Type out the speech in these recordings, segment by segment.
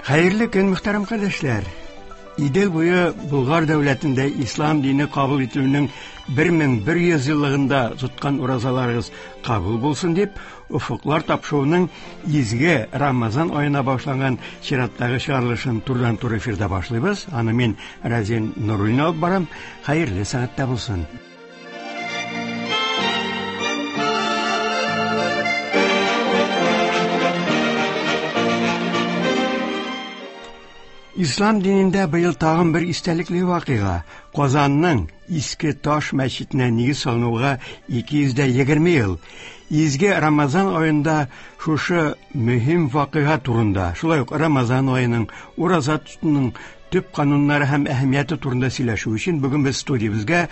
Хәерле көн, мөхтәрәм кардәшләр! Идел буе Болгар дәүләтендә ислам дине кабул ителүнең 1100 еллыгында тоткан уразаларыгыз кабул булсын дип, Офыклар тапшыруының изге Рамазан аена багышланган чираттагы чыгарылышын турыдан-туры эфирда башлыйбыз. Аны мин Разин Нуруллин алып барам. Хәерле сәгатьтә булсын. Ислам динендә быел тагын бер истәлекле вакыйга. Казанның Иске Таш мәчетенә нигез салынуга 220 ел. Изге Рамазан аенда шушы мөһим вакыйга турында, шулай ук Рамазан аеның, ураза тотуның төп кануннары һәм әһәмияте турында сөйләшү өчен бүген без студиябезгә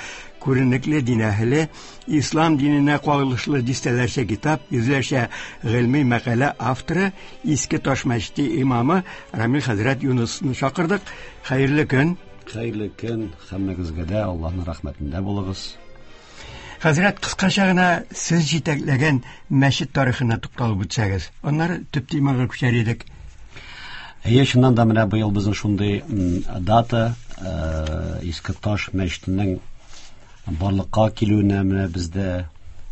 күренекле дин әһеле, ислам диненә кагылышлы дистәләрчә китап, йөзләрчә гыйльми мәкалә авторы, Иске Таш мәчете имамы Рамил хәзрәт Юнысны чакырдык. Хәерле көн! Хәерле көн, һәммәгезгә дә Аллаһның рәхмәтендә булыгыз. Хәзрәт, кыскача гына сез җитәкләгән мәчет тарихына тукталып үтсәгез, аннары төп темага күчәр идек. Әйе, чыннан да менә быел безнең шундый дата, Иске Таш мәчетенең барлыкка килүенә менә бездә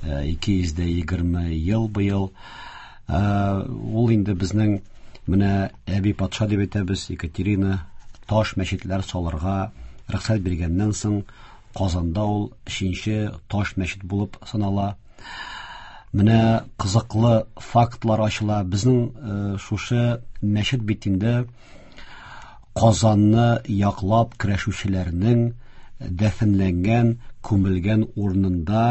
220 ел быел. Ул инде безнең менә әби патша дип әйтәбез, Екатерина таш мәчетләр салырга рөхсәт биргәннән соң Казанда ул өченче таш мәчет булып санала. Менә кызыклы фактлар ачыла. Безнең э, шушы мәчет бит инде Казанны яклап көрәшүчеләрнең дәфенләнгән, күмелгән урынында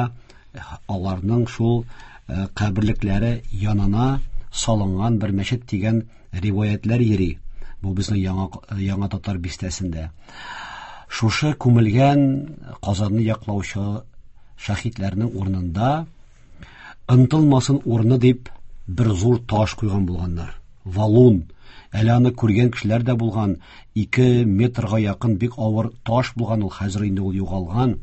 аларның шул э, каберлекләре янына салынган бер мәчет дигән риваятләр йөри. Бу безнең яңа, яңа татар бистәсендә. Шушы күмелгән Казанны яклаучы шәһитләрнең урынында ынтылмасын урыны дип бер зур таш куйган булганнар. Валун. Әле аны күргән кешеләр дә булган. 2 метрга якын бик авыр таш булган ул, хәзер инде ул югалган.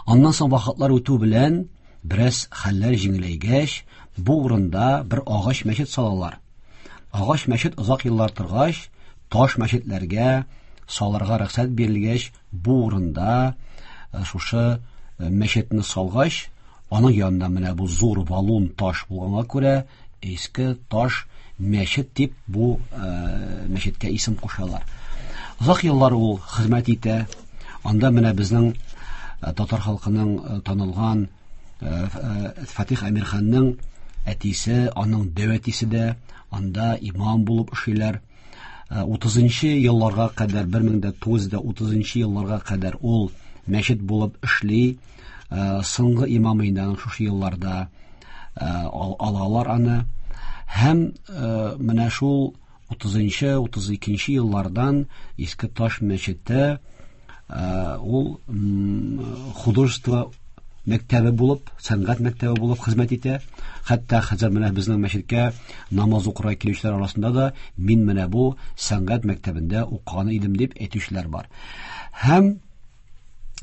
Аннан соң вакытлар үтү белән Бераз хәлләр җиңеләйгәч, бу урында бер агач мәчет салалар. Агач мәчет озак еллар торгач, таш мәчетләргә салырга рөхсәт бирелгәч, бу урында э, шушы э, мәчетне салгач, аның янында менә бу зур валун таш булганга күрә, иске таш мәчет дип бу э, мәчеткә исем кушалар. Озак еллар ул хезмәт итә. Анда менә безнең э, татар халкының э, танылган э, Фатих Әмирханның әтисе, аның дәү әтисе дә анда имам булып эшлиләр. 30 елларга кадәр 1930 елларга кадәр ул мәчет булып эшли. Соңгы имамы инде аның шушы елларда алалар аны. Һәм менә шул 30-нчы, 32-нче еллардан Иске Таш мәчете ул художество мәктәбе булып, сәнгать мәктәбе булып хезмәт итә. Хәтта хәзер менә безнең мәчеткә намаз укырга килүчеләр арасында да мин менә бу сәнгать мәктәбендә укыган идем дип әйтүчеләр бар. Һәм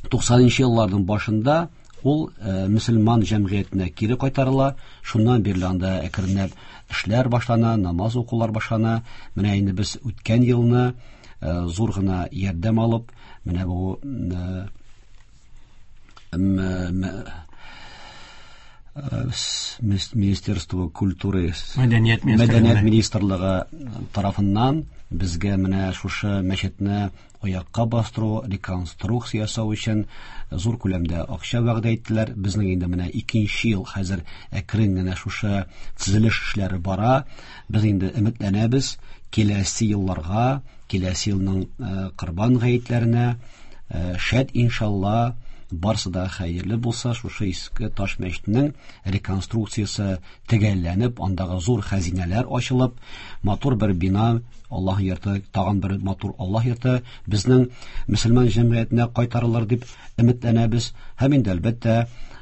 90 елларның башында ул э, мөселман җәмгыятенә кире кайтарыла. Шуннан бирле анда әкренләп эшләр башлана, намаз укулар башлана. Менә инде без үткән елны э, зур гына ярдәм алып, менә бу э, Министерство культуры мәдәният мәдәният министрлыгы тарафыннан безгә менә шушы мәчетне аякка бастыру, реконструкция ясау өчен зур күләмдә акча вәгъдә иттеләр. Безнең инде менә икенче ел хәзер әкрен генә шушы төзелеш эшләре бара. Без инде өметләнәбез, киләсе елларга, киләсе елның э, Корбан гаетләренә э, шәт иншалла барсы да хәерле булса, шушы иске таш мәчетнең реконструкциясе төгәлләнеп, андагы зур хәзинәләр ачылып, матур бер бина, Аллаһ йорты, тагын бер матур Аллаһ йорты безнең мөселман җәмгыятенә кайтарылыр дип өметләнәбез. Һәм инде әлбәттә,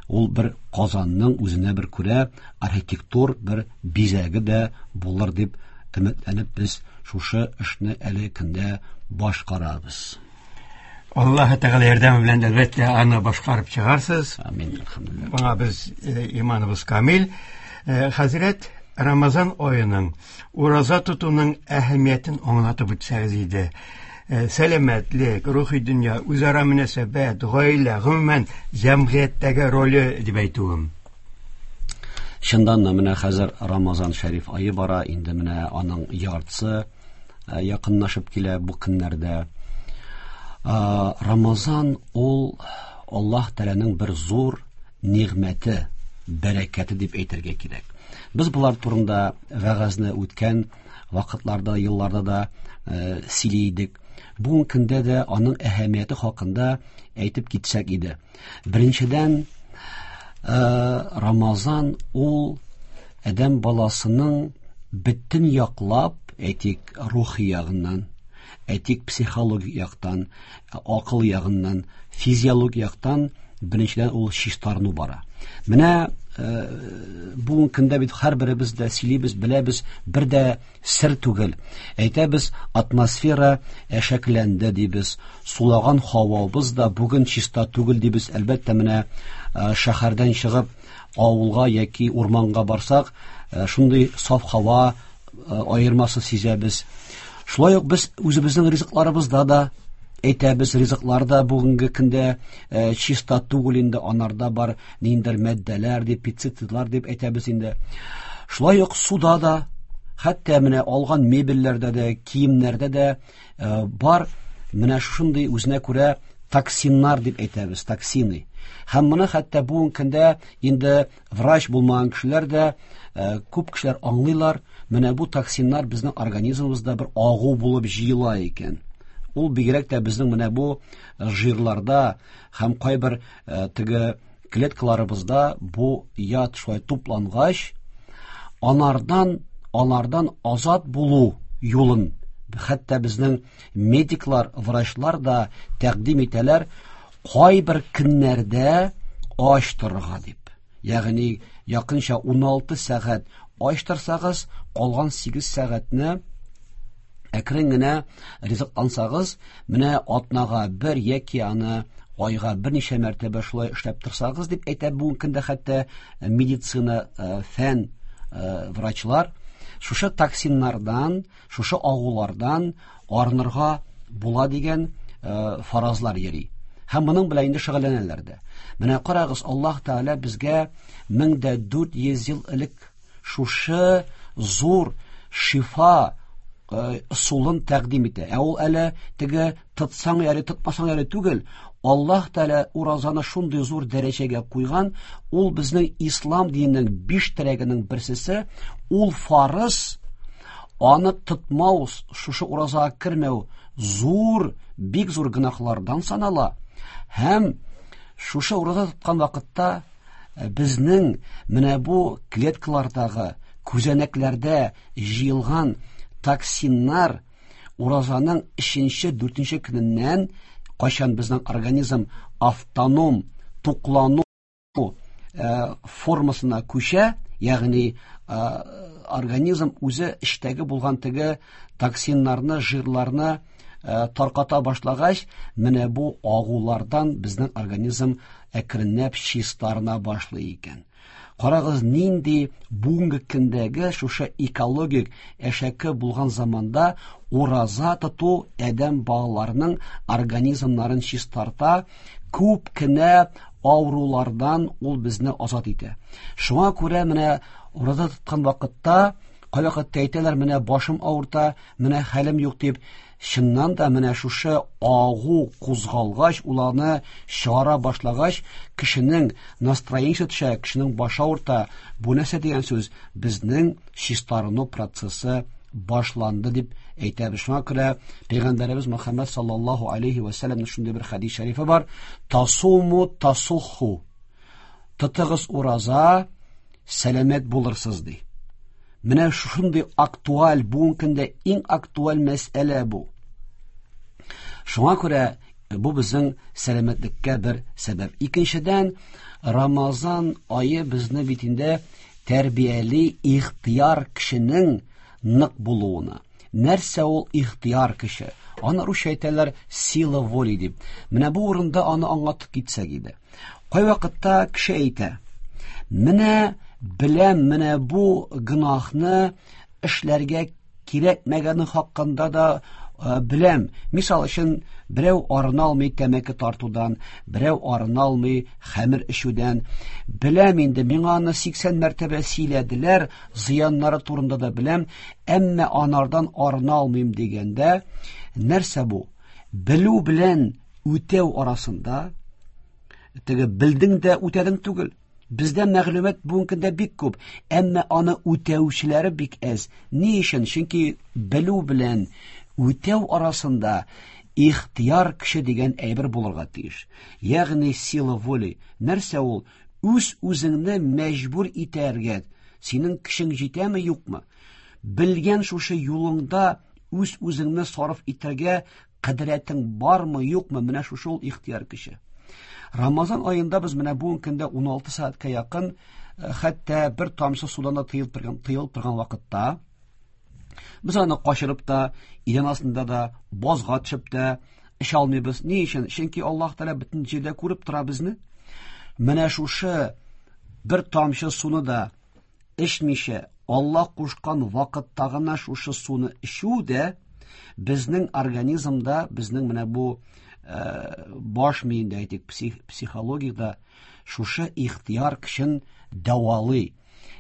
ул бер Казанның үзенә бер күрә архитектур бер бизәге дә булыр дип өметләнеп без шушы эшне әле көндә башкарабыз. Аллаһы Тәгалә ярдәме белән әлбәттә аны башкарып чыгарсыз. Амин, әлхәмдүлилләһ. Моңа без э, иманыбыз камил. Э, хәзрәт, Рамазан аеның, ураза тотуның әһәмиятен аңлатып үтсәгез иде. Сәламәтлек, рухи дөнья, үзара мөнәсәбәт, гаилә, гомумән, җәмгыятьтәге роле дип әйтүем. Чыннан да менә хәзер Рамазан шәриф ае бара, инде менә аның яртысы якынлашып килә бу көннәрдә. Рамазан ул Аллаһ Тәгаләнең бер зур нигъмәте, бәрәкәте дип әйтергә кирәк. Без болар турында вәгазьне үткән вакытларда, елларда да сөйли идек. Бүгенге көндә дә аның әһәмияте хакында әйтеп китсәк иде. Беренчедән, Рамазан ул адәм баласының бөтен яклап, әйтик, рухи ягыннан, әйтик, психологик яктан, акыл ягыннан, физиологик яктан беренчедән ул чистарыну бара. Менә бүгенге көндә бит һәрберебез дә сөйлибез, беләбез, бер дә сер түгел. Әйтәбез, атмосфера әшәкләнде дибез, сулаган һавабыз да бүген чиста түгел дибез. Әлбәттә, менә шәһәрдән чыгып авылга яки урманга барсак, шундый саф һава аермасын сизәбез. Шулай ук без үзебезнең ризыкларыбызда да әйтәбез, ризыклар да бүгенге көндә чиста түгел инде, анарда бар ниндидер матдәләр дип, пестицидлар дип әйтәбез инде. Шулай ук суда да, хәтта менә алган мебельләрдә дә, киемнәрдә дә бар менә шушындый үзенә күрә токсиннар дип әйтәбез, токсины. Һәм моны хәтта бүгенге көндә инде врач булмаган кешеләр дә, күп кешеләр аңлыйлар, менә бу токсиннар безнең организмыбызда бер агу булып җыела икән. Ул бигрәк тә безнең менә бу жирларда һәм кайбер теге клеткаларыбызда бу яд шулай туплангач, алардан азат булу юлын хәтта безнең медиклар, врачлар да тәкъдим итәләр, кайбер көннәрдә ач торырга дип. Ягъни якынча 16 сәгать ач торсагыз, калган 8 сәгатьне әкрен генә ризыклансагыз, менә атнага бер яки аны айга берничә мәртәбә шулай эшләп торсагыз дип әйтә бүгенге көндә хәтта медицина, фән, врачлар, шушы токсиннардан, шушы агулардан арынырга була дигән фаразлар йөри. Һәм моның белән инде шөгыльләнәләр дә. Менә карагыз, Аллаһ Тәгалә безгә 1400 ел элек шушы зур шифа ысулын тәкъдим итә. Ә ул әле теге тотсаң ярый, тотмасаң ярый түгел. Аллаһ Тәгалә уразаны шундый зур дәрәҗәгә куйган, ул безнең ислам диненең 5 терәгенең берсесе, ул фарыз, аны тотмау, шушы уразага кермәү зур, бик зур гөнаһлардан санала. Һәм шушы ураза тоткан вакытта безнең менә бу клеткалардагы, күзәнәкләрдә җыелган токсиннар уразаның өченче, дүртенче көненнән, кайчан безнең организм автоном туклану формасына күчә, ягъни организм үзе эчтәге булган теге токсиннарны, жирларны тарката башлагач, менә бу агулардан безнең организм әкренләп чистарына башлый икән. Карагыз, нинди бүгенге көндәге шушы экологик әшәке булган заманда ураза тоту адәм балаларының организмнарын чистарта, күп кенә авырулардан ул безне азат итә. Шуңа күрә менә ураза тоткан вакытта кайвакытта әйтәләр, менә башым авырта, менә хәлем юк дип. Чыннан да менә шушы агу кузгалгач, ул аны чыгара башлагач, кешенең настроениесе төшә, кешенең башы авырта. Бу нәрсә дигән сүз? Безнең чистарыну процессы башланды дип әйтәбез. Шуңа күрә Пәйгамбәребез Мөхәммәд саллаллаһу алейхи ва сәлләмнең шундый бер хәдис шәрифе бар: Тасуму тасуху. Тотыгыз ураза, сәламәт булырсыз ди. Менә шундый актуаль, бүгенге көндә иң актуаль мәсьәлә бу. Шуңа күрә бу безнең сәламәтлеккә бер сәбәп. Икенчедән, Рамазан ае безне бит инде тәрбияли ихтыяр кешенең нык булуына. Нәрсә ул ихтыяр кеше? Аны русча әйтәләр сила воли дип. Менә бу урында аны аңлатып китсәк иде. Кайвакытта кеше әйтә: менә Беләм, менә бу гөнаһны эшләргә кирәкмәгәне хакында да беләм. Мисал өчен, берәү арына алмый тәмәке тартудан, берәү арына алмый хәмер эчүдән. Беләм инде, миңа аны 80 мәртәбә сөйләделәр, зыяннары турында да беләм, әмма анардан арына алмыйм дигәндә, нәрсә бу? Белү белән үтәү арасында теге белдең дә үтәдең түгел. Бездә мәгълүмат бүгенге көндә бик күп, әмма аны үтәүчеләре бик әз. Ни өчен? Чөнки белү белән үтәү арасында ихтияр көче дигән әйбер булырга тиеш. Ягъни сила воли. Нәрсә ул? Үз үзеңне мәҗбүр итәргә. Синең көчең җитәме, юкмы? Белгән шушы юлыңда үз үзеңне сарыф итәргә кадрәтең бармы, юкмы? Менә шушы ул ихтияр көче. Рамазан аенда без менә бүгенге көндә 16 сәгатькә якын, хәтта бер тамчы судан да тыелып торган вакытта без аны качырып та, идән астында да, базга төшеп тә эчә алмыйбыз. Ни өчен? Чөнки Аллаһ Тәгалә бөтен җирдә күреп тора безне. Менә шушы бер тамчы суны да эчмичә, Аллаһ кушкан вакытта гына шушы суны эчү дә безнең организмда, безнең менә бу баш миендә, әйтик, психологиядә шушы ихтияр көчен дәвалый.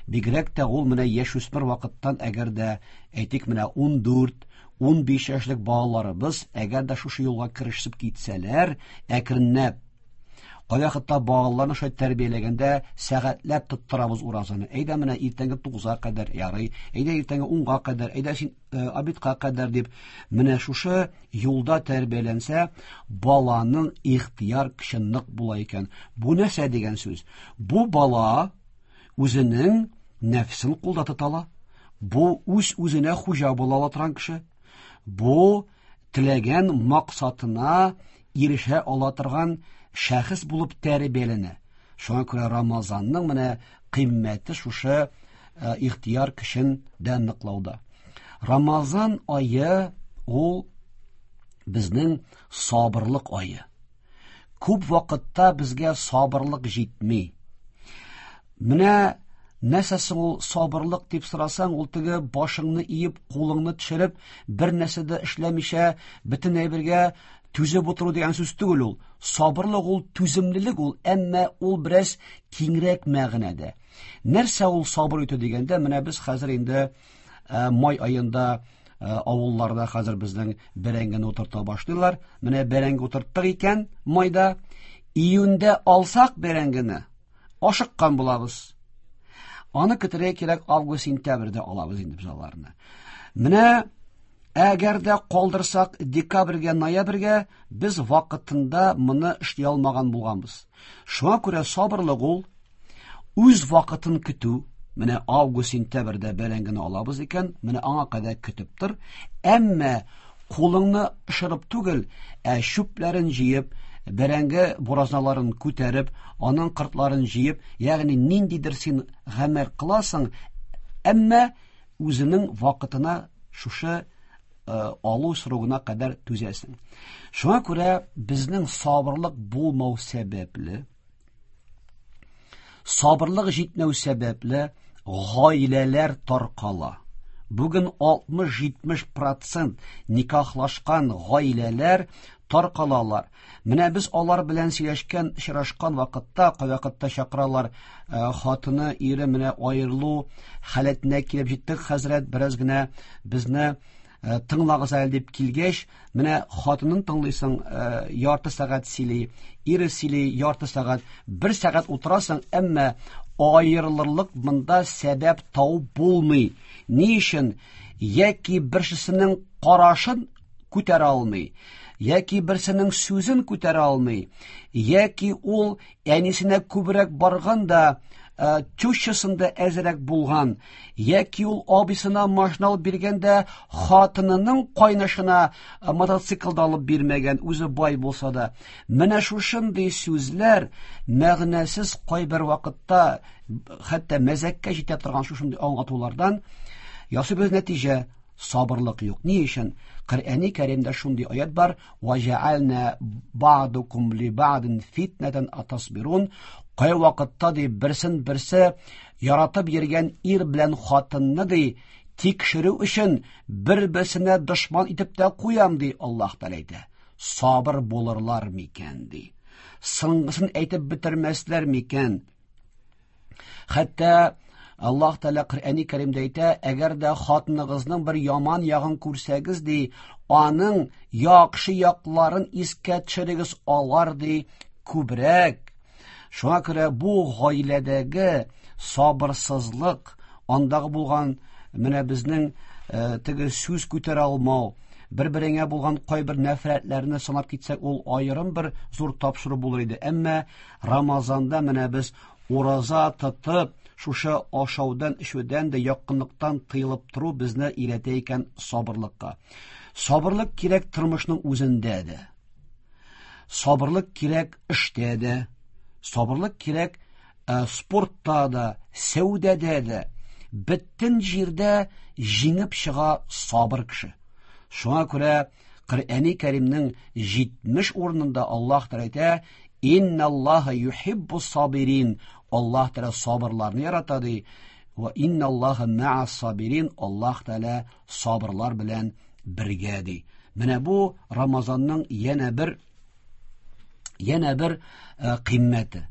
Бигрәк тә ул менә яшүсмер вакыттан, әгәр дә, әйтик, менә 14, 15 яшьлек балаларыбыз, әгәр дә шушы юлга керешеп китсәләр, әкренләп кайвакытта балаларны шулай тәрбияләгәндә сәгатьләп тоттырабыз уразаны. Әйдә менә иртәнге 9-га кадәр ярый, әйдә иртәнге 10-га кадәр, әйдә син обедка кадәр дип, менә шушы юлда тәрбияләнсә, баланың ихтияр көче нык була икән. Бу нәрсә дигән сүз? Бу бала үзенең нәфсен кулда тота ала. Бу үз үзенә хуҗа була ала торган кеше. Бу теләгән максатына ирешә ала торган шәхес булып тәрбияләнә. Шуңа күрә Рамазанның менә кыйммәте шушы ихтияр көчен дә ныклауда. Рамазан ае ул безнең сабырлык ае. Күп вакытта безгә сабырлык җитми. Менә нәрсә соң ул сабырлык дип сорасаң, ул теге башыңны иеп, кулыңны төшереп, бер нәрсә дә эшләмичә, бөтен әйбергә түзеп утыру дигән сүз түгел ул. Сабырлык ул түземлелек ул, әмма ул бераз киңрәк мәгънәдә. Нәрсә ул сабыр итү дигәндә, менә без хәзер инде май аенда авылларда хәзер безнең бәрәңгене утырта башлыйлар. Менә бәрәңге утырттык икән майда, июньдә алсак бәрәңгене, ашыккан булабыз. Аны көтәргә кирәк, август, сентябрьдә алабыз инде без аларны. Менә әгәр дә калдырсак декабрьгә, ноябрьгә, без вакытында моны эшли алмаган булганбыз. Шуңа күрә сабырлык ул үз вакытын көтү. Менә август, сентябрьдә бәрәңгене алабыз икән, менә аңа кадәр көтеп тор. Әмма кулыңны ышырып түгел, ә чүпләрен җыеп, бәрәңге буразналарын күтәреп, аның кыртларын җыеп, ягъни ниндидер син гамәл кыласың, әмма үзенең вакытына шушы алу срогына кадәр түзәсең. Шуңа күрә безнең сабырлык булмау сәбәпле, сабырлык җитмәү сәбәпле гаиләләр таркала. Бүген 60-70% никахлашкан гаиләләр таркалалар. Менә без алар белән сөйләшкән, очрашкан вакытта, кайвакытта чакыралар, хатыны, ире менә аерылу халәтенә килеп җиттек, хәзрәт, бераз генә безне тыңлагыз әле дип килгәч, менә хатынын тыңлыйсың, ярты сәгать сөйли, ире сөйли, ярты сәгать, бер сәгать утырасың, әмма аерылырлык монда сәбәп табып булмый. Ни өчен? Яки берсенең карашын күтәрә алмый, яки берсенең сүзен күтәрә алмый, яки ул әнисенә күбрәк барган да, тещасында әзрәк булган, яки ул абыйсына машина алып биргәндә хатынының кайнашына мотоциклда алып бирмәгән, үзе бай булса да. Менә шушындый сүзләр мәгънәсез кайбер вакытта хәтта мәзәккә җитә торган шушындый аңлатулардан ясыйбыз нәтиҗә: сабырлык юк. Ни өчен? Коръәни Кәримдә шундый аят бар: "Ва җәална бa'дукум ли бa'дин фитнатан атасбирун". Кай вакытта ди берсен берсе яратып йөргән ир белән хатынны ди тикшерү өчен бер-берсенә дошман итеп тә куям ди Аллаһ Тәгалә әйтә. Сабыр булырлар микән ди. Соңгысын әйтеп бетермәсләр микән? Хәтта Аллаһ Тәгалә Коръәни Кәримдә әйтә, әгәр дә хатыныгызның бер яман ягын күрсәгез ди, аның яхшы якларын искә төшерегез, алар ди күбрәк. Шуңа күрә бу гаиләдәге сабырсызлык, андагы булган менә безнең э, теге сүз күтәрә алмау, бер-береңә булган кайбер нәфрәтләрне санап китсәк, ул аерым бер зур тапшыру булыр иде. Әмма Рамазанда менә без ураза тотып, шушы ашаудан, эчүдән дә якынлыктан тыелып тору безне өйрәтә икән сабырлыкка. Сабырлык кирәк тормышның үзендә дә. Сабырлык кирәк эштә дә. Сабырлык кирәк э, спортта да, сәүдәдә дә. Бөтен җирдә җиңеп чыга сабыр кеше. Шуңа күрә Коръәни Кәримнең 70 урынында Аллаһ Тәгалә әйтә: "Инналлаһа юхиббус сабирин". Аллаһ Тәгалә сабырларны ярата ди. Ва инналлаһа ма'ас сабирин. Аллаһ Тәгалә сабырлар белән бергә ди. Менә бу Рамазанның янә бер янә бер э, кыйммәте.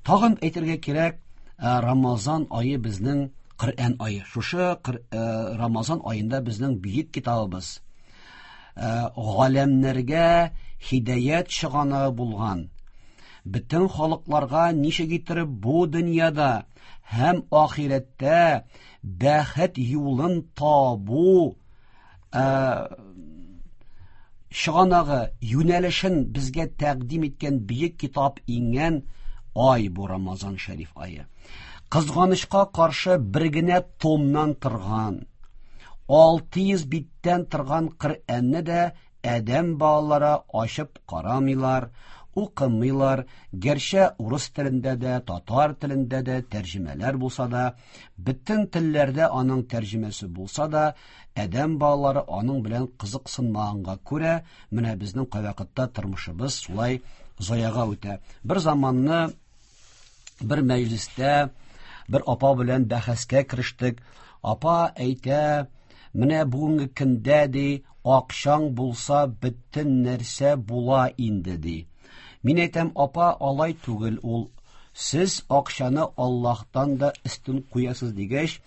Тагын әйтергә кирәк, э, Рамазан ае безнең Коръән ае. Шушы э, Рамазан аенда безнең бөек китабыбыз галәмнәргә һидаят чыганагы булган, бөтен халыкларга ничек иттереп бу дөньяда һәм ахирәттә бәхет юлын табу чыганагы, юнәлешен безгә тәкъдим иткән бөек китап иңгән ай бу Рамазан шәриф ае. Кызганычка каршы бер генә томнан торган, 600 биттән торган Коръәнне дә адәм балалары ачып карамыйлар, укымыйлар, гәрчә урыс телендә дә, татар телендә дә тәрҗемәләр булса да, бөтен телләрдә аның тәрҗемәсе булса да, адәм балалары аның белән кызыксынмаганга күрә, менә безнең кайвакытта тормышыбыз шулай заяга үтә. Бер заманны бер мәҗлестә бер апа белән бәхәскә керештек. Апа әйтә, менә бүгенге көндә ди, акчаң булса бөтен нәрсә була инде ди. Мин әйтәм, апа, алай түгел ул. Сез акчаны Аллаһтан да өстен куясыз дигәч,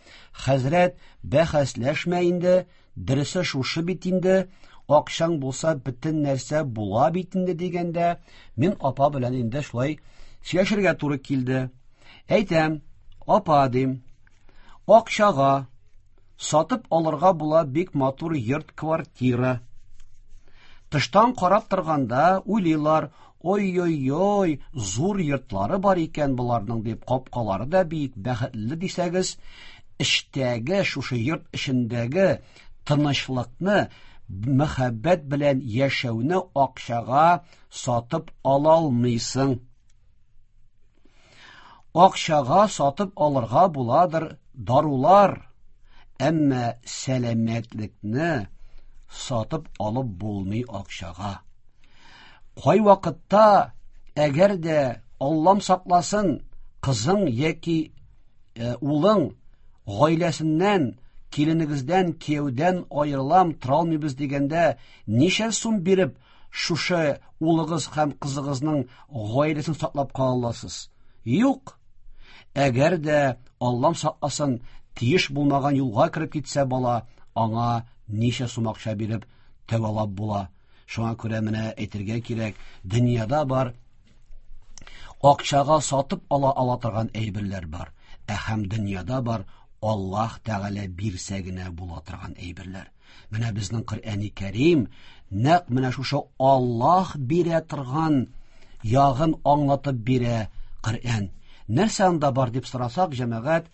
хәзрәт, бәхәсләшмә инде, дөресе шушы бит инде, акчаң булса бөтен нәрсә була бит инде дигәндә, мин апа белән инде шулай сөйләшергә туры килде. Әйтәм, апа дим, акчага сатып алырга була бик матур йорт квартира. Тыштан карап торганда уйлыйлар, ой-ой-ой, зур йортлары бар икән боларның дип, капкалары да бик бәхетле дисәгез, эчтәге, шушы йорт эчендәге тынычлыкны, мәхәббәт белән яшәүне акчага сатып ала алмыйсың. Акчага сатып алырга буладыр дарулар, әмма сәламәтлекне сатып алып булмый акчага. Кай вакытта, әгәр дә Аллам сакласын, кызың яки э, улың гаиләсеннән, киленегездән, кияүдән аерылам, тора алмыйбыз дигәндә, ничә сум биреп шушы улыгыз һәм кызыгызның гаиләсен саклап кала аласыз? Юк. Әгәр дә Аллам сакласын, тиеш булмаган юлга кереп китсә бала, аңа ничә сум акча биреп тәвалап була? Шуңа күрә менә әйтергә кирәк, дөньяда бар акчага сатып ала ала торган әйберләр бар, ә һәм дөньяда бар Аллаһ Тәгалә бирсә генә була торган әйберләр. Менә безнең Коръәни Кәрим нәкъ менә шушы Аллаһ бирә торган ягын аңлатып бирә Коръән. Нәрсә анда бар дип сорасак, җәмәгать,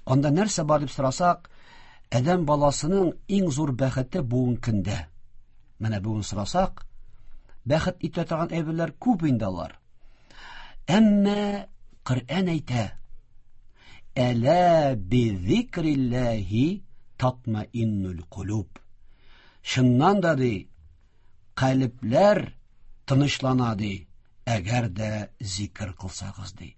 анда нәрсә бар дип сорасак, адәм баласының иң зур бәхете бүгенге көндә. Менә бүген сорасак, бәхет итә торган әйберләр күп инде алар. Әмма Коръән әйтә: Әлә би зикрилләһи татмаиннул кулуб. Чыннан да ди, калебләр тынычлана ди, әгәр дә зикр кылсагыз ди.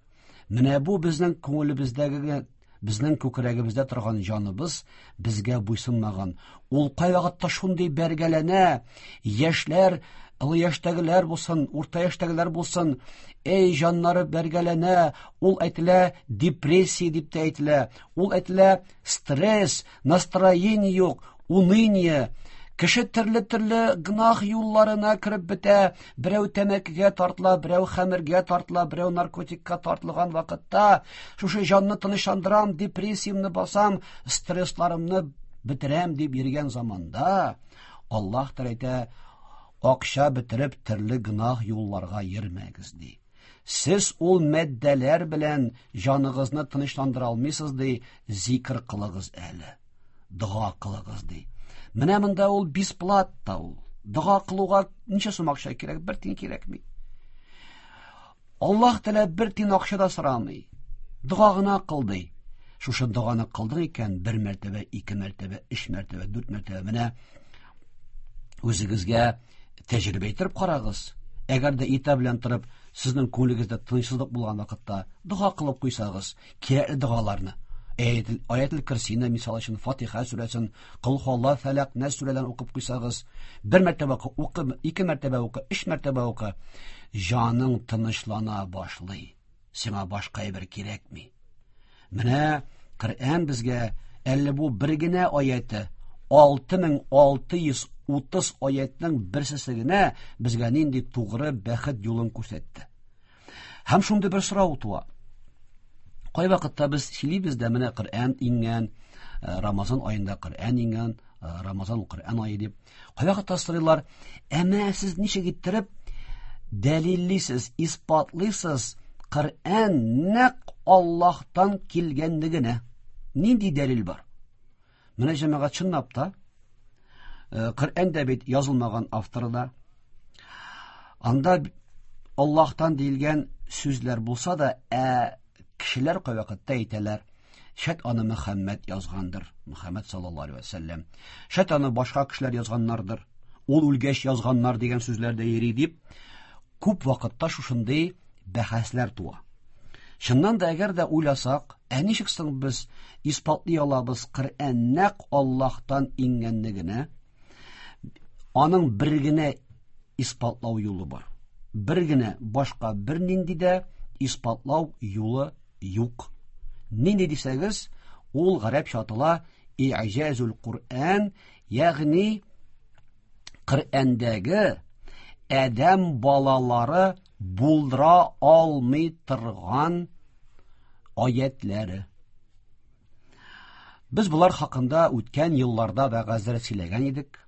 Менә бу безнең күңелебездәге, безнең күкрәгебездә торган җаныбыз безгә буйсынмаган. Ул кайвакытта шундый бәргәләнә, яшьләр, олы яшьтәгеләр булсын, урта яшьтәгеләр булсын, эй, җаннары бәргәләнә, ул әйтелә депрессия дип тә әйтелә, ул әйтелә стресс, настроение юк, уныние. Кеше төрле-төрле гөнаһ юлларына кереп бетә, берәү тәмәкегә тартыла, берәү хәмергә тартыла, берәү наркотикка тартылган вакытта, шушы җанны тынычландырам, депрессиямне басам, стрессларымны бетерәм дип йөргән заманда, Аллаһ Тәгалә әйтә, акча бетереп төрле гөнаһ юлларга йөрмәгез ди. Сез ул мәддәләр белән җаныгызны тынычландыра алмыйсыз ди, зикр кылыгыз әле, дога кылыгыз ди. Менә монда ул бесплатно ул. Дога кылуга ничә сум акча кирәк? Бер тиен кирәкми. Аллаһ Тәгалә бер тиен акча да сорамый. Дога гына кыл ди. Шушы доганы кылдың икән, бер мәртәбә, ике мәртәбә, өч мәртәбә, дүрт мәртәбә, менә үзегезгә тәҗрибә иттереп карагыз. Әгәр дә иртә белән торып, сезнең күңелегездә тынычсызлык булган вакытта дога кылып куйсагыз, кирәкле догаларны, Аятел Курсины, мисал өчен, Фатиха сүрәсен, Кол Һуаллаһ, Фәләк, Нәс сүрәләрен укып куйсагыз, бер мәртәбә укы, ике мәртәбә укы, өч мәртәбә укы, җаның тынычлана башлый. Сиңа башка әйбер кирәкми. Менә Коръән безгә әле бу бер генә аяты, 6630 аятның берсесе генә безгә нинди тугры бәхет юлын күрсәтте. Һәм шундый бер сорау туа. Кайвакытта без сөйлибез дә, менә Коръән иңгән, Рамазан аенда Коръән иңгән, Рамазан ул Коръән ае дип. Кайвакытта сорыйлар, әмма сез ничек иттереп дәлиллисез, исбатлыйсыз Коръән нәкъ Аллаһтан килгәнлегенә? Нинди дәлил бар? Менә җәмәгать чынлап та Коръән дә бит язылмаган авторы да. Анда Аллаһтан диелгән сүзләр булса да, ә кешеләр кайвакытта әйтәләр, шәт аны Мөхәммәд язгандыр, Мөхәммәд саллаллаһу алейһи ва сәлләм. Шәт аны башка кешеләр язганнардыр, ул үлгәч язганнар дигән сүзләр дә йөри дип, күп вакытта шушындый бәхәсләр туа. Чыннан да, әгәр дә уйласак, ә ничек соң без исбатлый алабыз Коръән нәкъ Аллаһтан иңгәнлегенә? Аның бер генә исбатлау юлы бар. Бер генә, башка бернинди дә исбатлау юлы юк. Нинди дисәгез, ул гарәпчә атала И'җазул Коръән, ягъни Коръәндәге адәм балалары булдыра алмый торган аятлары. Без булар хакында үткән елларда вәгазьләр сөйләгән идек.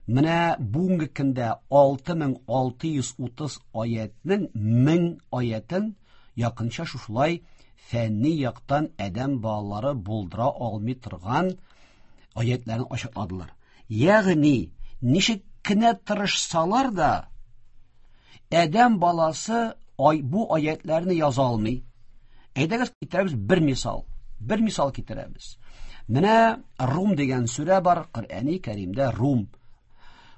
Менә бүгенге көндә 6630 аятның 1000 аятын якынча шушылай фәнни яктан адәм балалары булдыра алмый торган аятларын ачыкладылар. Ягъни, ничек кенә тырышсалар да, адәм баласы бу аятларны яза алмый. Әйдәгез китерәбез бер мисал. Бер мисал китерәбез. Менә Рум дигән сүрә бар, Коръәни Кәримдә Рум.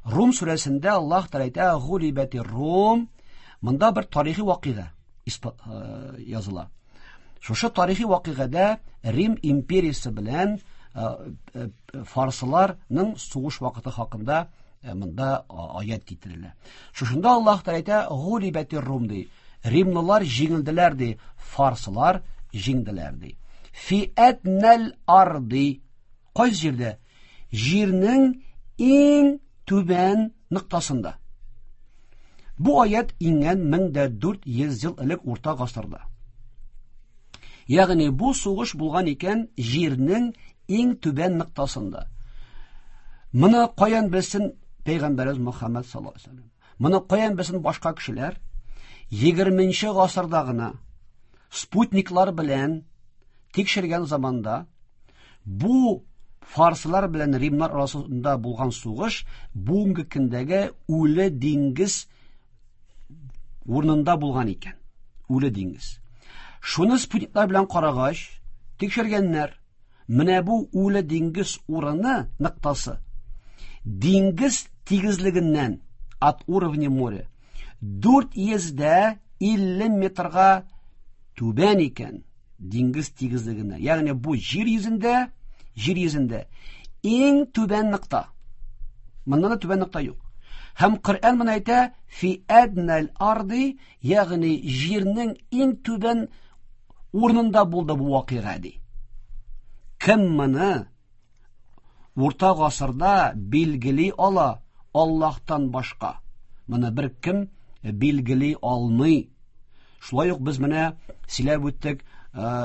Рум сүрәсендә Аллаһ Тәгалә әйтә, Гулибәти Рум. Монда бер тарихи вакыйга языла. Шушы тарихи вакыйгада Рим империясе белән фарсыларның сугыш вакыты хакында монда аят китерелә. Шушында Аллаһ Тәгалә әйтә, Гулибәти Рум ди. Римлылар җиңелделәр ди, фарсылар җиңделәр ди. Фи әднәл арди. Кайсы җирдә? Җирнең иң түбән ноктасында. Бу аят иңгән 1400 ел элек урта гасырда. Ягъни бу сугыш булган икән җирнең иң түбән ноктасында. Моны каян белсен Пәйгамбәребез Мөхәммәд саллаллаһу алейһи ва сәлләм? Моны каян белсен башка кешеләр? 20 гасырда гына спутниклар белән тикшергән заманда бу фарсылар белән римнар арасында булган сугыш бүгенге көндәге үле диңгез урынында булган икән. Үле диңгез. Шуны спутниклар белән карагач, тикшергәннәр. Менә бу үле диңгез урыны ноктасы диңгез тигезлегеннән от уровня моря 450 метрга Түбән икән диңгез тигезлегеннән. Ягъни бу җир йөзендә, җир йөзендә иң түбән нокта. Моннан да түбән нокта юк. Һәм Коръән моны әйтә, фи әднәл арди, ягъни җирнең иң түбән урынында булды бу вакыйга ди. Кем моны урта гасырда билгели ала Аллаһтан башка? Моны бер кем билгели алмый. Шулай ук без менә сөйләп үттек,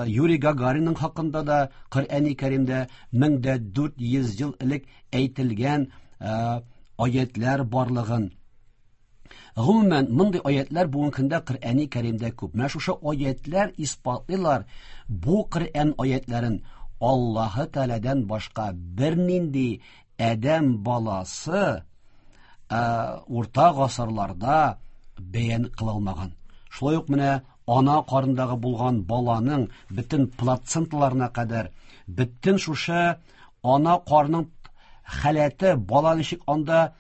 Юрий Гагаринның хакында да Коръәни Кәримдә 1400 ел элек әйтелгән аятлар барлыгын. Гомумән, мондый аятлар бүгенге көндә Коръәни Кәримдә күп. Менә шушы аятлар исбатлыйлар бу Коръән аятларын Аллаһы Тәгаләдән башка бернинди адәм баласы урта гасырларда бәян кыла алмаган. Шулай ук менә ана карындагы булган баланың бөтен плаценталарына кадәр, бөтен шушы ана карның халәте, бала ничек анда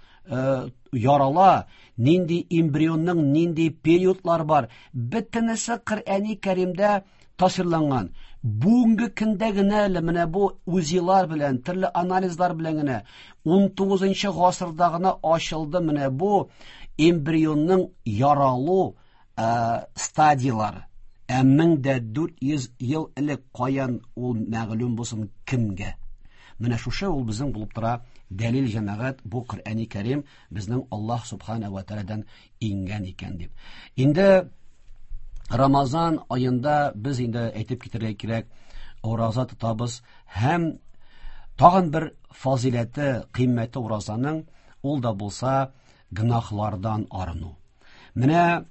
ярала, нинди эмбрионның нинди периодлар бар, бөтенесе Коръәни Кәримдә тасвирланган. Бүгенге көндә генә әле менә бу УЗИлар белән, төрле анализлар белән генә 19 гасырда гына ачылды менә бу эмбрионның яралу стадиялары. Ә 1400 ел элек каян ул мәгълүм булсын кемгә? Менә шушы ул безнең булып тора дәлил җәмәгать, бу Коръәни Кәрим безнең Аллаһ субхана ва тәгаләдән иңгән икән дип. Инде Рамазан аенда без инде әйтеп китәргә кирәк, ураза тотабыз һәм тагын бер фазиләте, кыйммәте уразаның, ул да булса гөнаһлардан арыну. Менә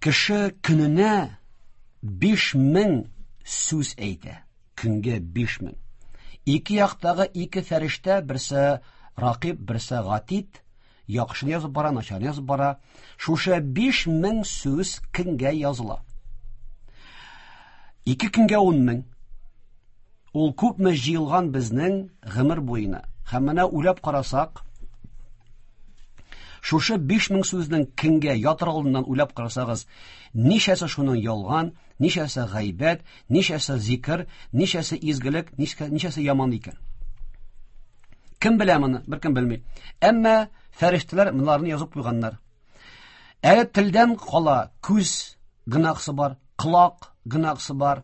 кеше көненә 5000 сүз әйтә. Көнгә 5000. Ике яктагы ике фәрештә, берсе Ракиб, берсе Гатид, яхшыны язып бара, начарны язып бара. Шушы 5000 сүз көнгә языла. Ике көнгә 10000. Ул күпме җыелган безнең гомер буена. Һәм менә уйлап карасак, шушы 5000 сүзнең көнгә ятыр алдыннан уйлап карасагыз, ничәсе шуның ялган, ничәсе гайбәт, ничәсе зикр, ничәсе изгелек, ничәсе яман икән. Кем белә моны? Беркем белми. Әмма фәрештәләр монларны язып куйганнар. Әле телдән кала күз гынахсы бар, колак гынахсы бар,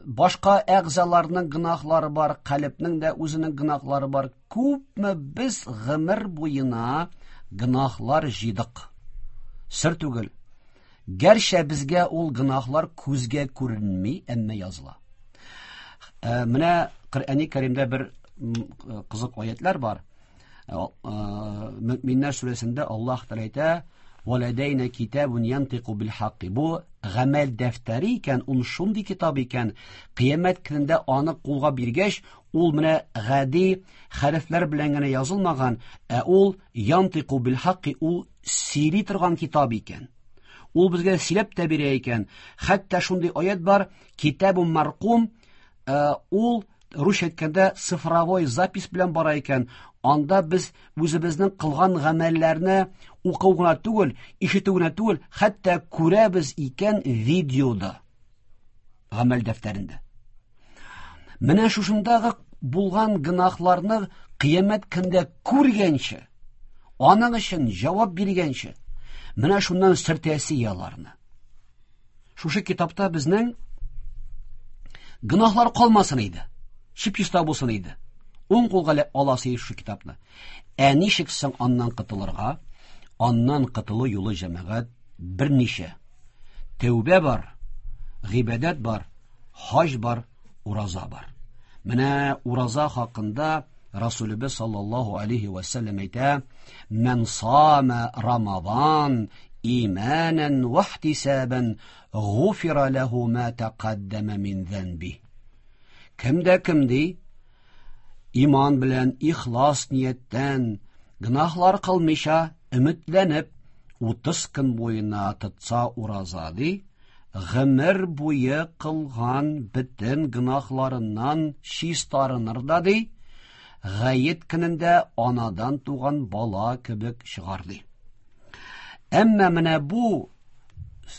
башка әгъзаларның гынахлары бар, калебнең дә үзенең гынахлары бар. Күпме без гомер буена гынахлар җыйдык. Сер түгел. Гәрчә безгә ул гынахлар күзгә күренми, әмма языла. Менә Коръәни Кәримдә бер кызык аятлар бар. Мөминнәр сүрәсендә Аллаһ Тәгалә әйтә: "Валәдәйнә китабун янтыку бил хакки". Бу гамәл дәфтәре икән, ул шундый китап икән, кыямәт көнендә аны кулга биргәч, ул менә гади хәрефләр белән генә язылмаган, ә ул янтыку бил хакки, ул сөйли торган китап икән. Ул безгә сөйләп тә бирә икән. Хәтта шундый аят бар, китабун маркум, ул русча әйткәндә цифровой запись белән бара икән. Анда без үзебезнең кылган гамәлләрне уку гына түгел, ишетү генә түгел, хәтта күрәбез икән видеода, гамәл дәфтәрендә. Менә шушындагы булган гөнаһларны кыямәт көндә күргәнче, аның өчен җавап биргәнче, менә шуннан сөртәсе яларны. Шушы китапта безнең гөнаһлар калмасын иде. Чип-чиста булсын иде. Уң кулга аласы иде шушы китапны. Ә ничек соң аннан котылырга? Аннан котылу юлы җәмәгать берничә. Тәүбә бар, гыйбадәт бар, хаҗ бар, ураза бар. Менә ураза хакында Расулыбыз саллаллаһу алейхи ва саллям әйтә: "Ман сама Рамазан иманан ва ихтисабан, гуфира лаху ма тaqaddama мин занби". Кем дә кем ди, иман белән ихлас нияттән гөнаһлар кылмыйча өметләнеп 30 көн буена тотса ураза ди, гомер буе кылган бөтен гөнаһларыннан чистарыныр да ди, гает көнендә анадан туган бала кебек чыгар ди. Әмма менә бу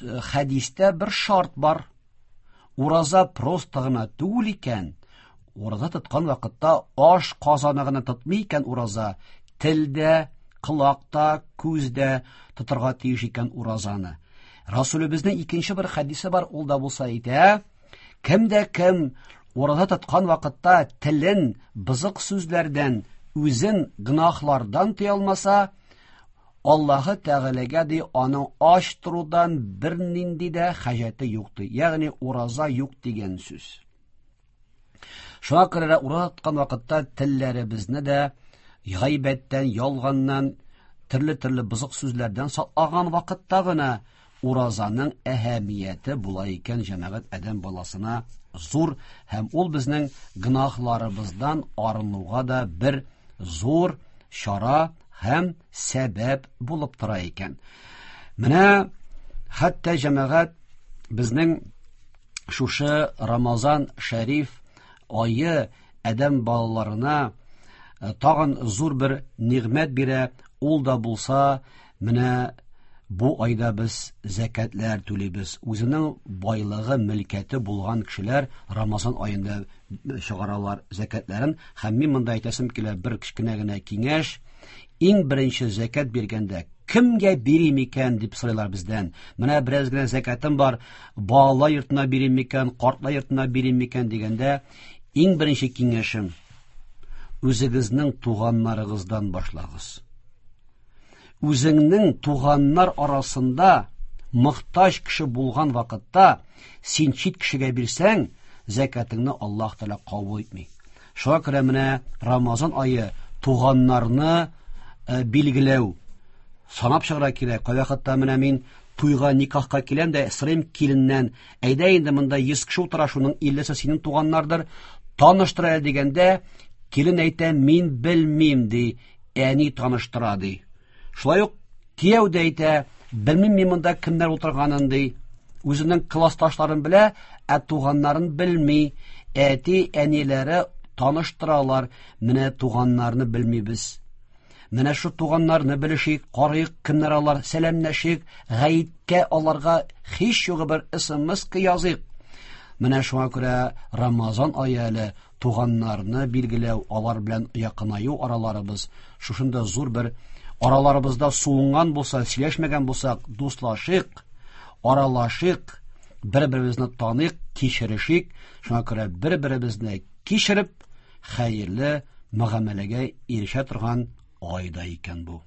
Хәдистә бер шарт бар. Ураза просто гына түгел икән. Ураза тоткан вакытта аш казаны гына тотмый икән ураза, телдә, колакта, күздә тотарга тиеш икән уразаны. Расулебезнең икенче бер хәдисе бар, ул да булса әйтә: кем дә кем ураза тоткан вакытта телен бозык сүзләрдән, үзен гөнаһлардан тыя алмаса, Аллаһы Тәгаләгә ди аның ач торудан бернинди дә хаҗәте юк ди. Ягъни ураза юк дигән сүз. Шуңа күрә ураза тоткан вакытта телләребезне дә гайбәттән, ялганнан, төрле-төрле бозык сүзләрдән саклаган вакытта гына уразаның әһәмияте була икән җәмәгать адәм баласына зур һәм ул безнең гөнаһларыбыздан арынуга да бер зур чара һәм сәбәп булып тора икән. Менә хәтта җәмәгать безнең шушы Рамазан шәриф ае адәм балаларына тагын зур бер нигъмәт бирә, ул да булса менә бу айда без зәкәтләр түлибез. Үзенең байлыгы, мөлкәте булган кешеләр Рамазан аенда чыгаралар зәкәтләрен. Һәм мин монда әйтәсем килә бер кечкенә генә киңәш. Иң беренче зәкәт биргәндә кемгә бирим икән дип сорыйлар бездән. Менә бераз генә зәкәтем бар, балалар йортына бирим микән, картлар йортына бирим микән дигәндә, иң беренче киңәшем үзегезнең туганнарыгыздан башлагыз. Үзеңнең туганнар арасында мохтаҗ кеше булган вакытта син чит кешегә бирсәң, зәкәтеңне Аллаһ Тәгалә кабул итми. Шуңа күрә менә Рамазан ае туганнарны билгеләү санап чыгарга кирәк. Кайвакытта менә мин туйга, никахка киләм дә сорыйм киленнән, әйдә инде монда 100 кеше утыра, шуның 50-се синең туганнардыр, таныштыр әле дигәндә, килен әйтә, мин белмим ди, әни таныштыра ди. Шулай ук кияү дә әйтә, белмим мин монда кемнәр утырганын ди. Үзенең классташларын белә, ә туганнарын белми. Әти, әниләре таныштыралар, менә туганнарны белмибез. Менә шу туганнарны белешик, карыйк, кемнәр алар, сәламләшик, гаеткә аларга һич югы бер смс языйк. Менә шуңа күрә Рамазан ае әле туганнарны билгеләү, алар белән якынаю араларыбыз шушында зур бер араларыбызда суынган булса, сөйләшмәгән булсак, дуслашыйк, аралашыйк, бер-беребезне таныйк, кичерешик. Шуңа күрә бер-беребезне кичереп, хәерле мөгамәләгә ирешә торган ай да икән бу.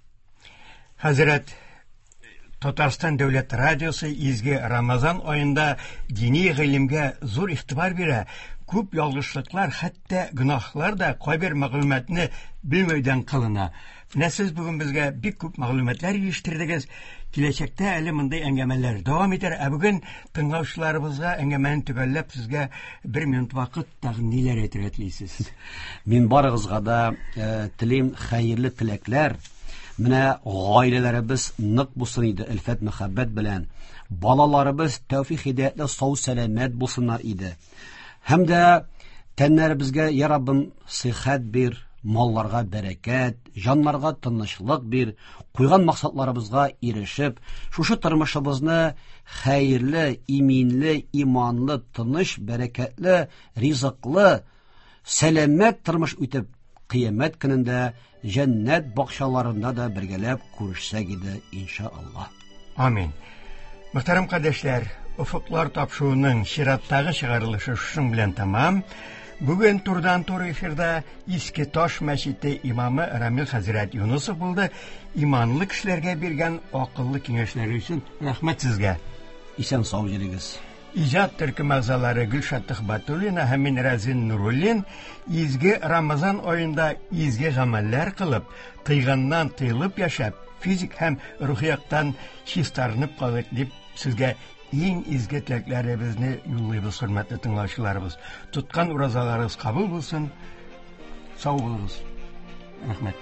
Хәзрәт, Татарстан дәүләт радиосы изге Рамазан аенда дини гыйлемгә зур игътибар бирә. Күп ялгышлыклар, хәтта гөнаһлар да кайбер мәгълүматны белмәүдән кылына. Менә сез бүген безгә бик күп мәгълүматлар ирештердегез. Киләчәктә әле мондый әңгәмәләр дәвам итәр. Ә бүген тыңлаучыларыбызга әңгәмәне төгәлләп сезгә бер минут вакыт тагын ниләр әйтергә телисез? Мин барыгызга да телим хәерле теләкләр. Менә гаиләләребез нык булсын иде, өлфәт мәхәббәт белән. Балаларыбыз тәүфик һидаятле сау сәламәт булсыннар иде. Һәм дә тәннәребезгә, я Раббым, сихәт бир, малларга бәрәкәт, җаннарга тынычлык бир, куйган максатларыбызга ирешеп, шушы тормышыбызны хәерле, иминле, иманлы, тыныч, бәрәкәтле, ризыклы, сәламәт тормыш үтеп, кыямәт көнендә җәннәт бакчаларында да бергәләп күрешсәк иде, иншаллаһ. Амин. Мөхтәрәм кардәшләр, Офыклар тапшыруының чираттагы чыгарылышы шушың белән тәмам. Бүген турыдан-туры эфирда Иске Таш мәчете имамы Рамил хәзрәт Юнусов булды. Иманлы кешеләргә биргән акыллы киңәшләре өчен рәхмәт сезгә. Исән сау йөрегез. Иҗат төркем әгъзалары Гөлшат Төхбәтуллина һәм мин Рәзин Нуруллин изге Рамазан аенда изге гамәлләр кылып, тыйганнан тыелып яшәп, физик һәм рухи яктан чистарынып калыйк дип сезгә иң изге теләкләребезне юллыйбыз, хөрмәтле тыңлаучыларыбыз. Тоткан уразаларыгыз кабул булсын. Сау булыгыз. Рәхмәт.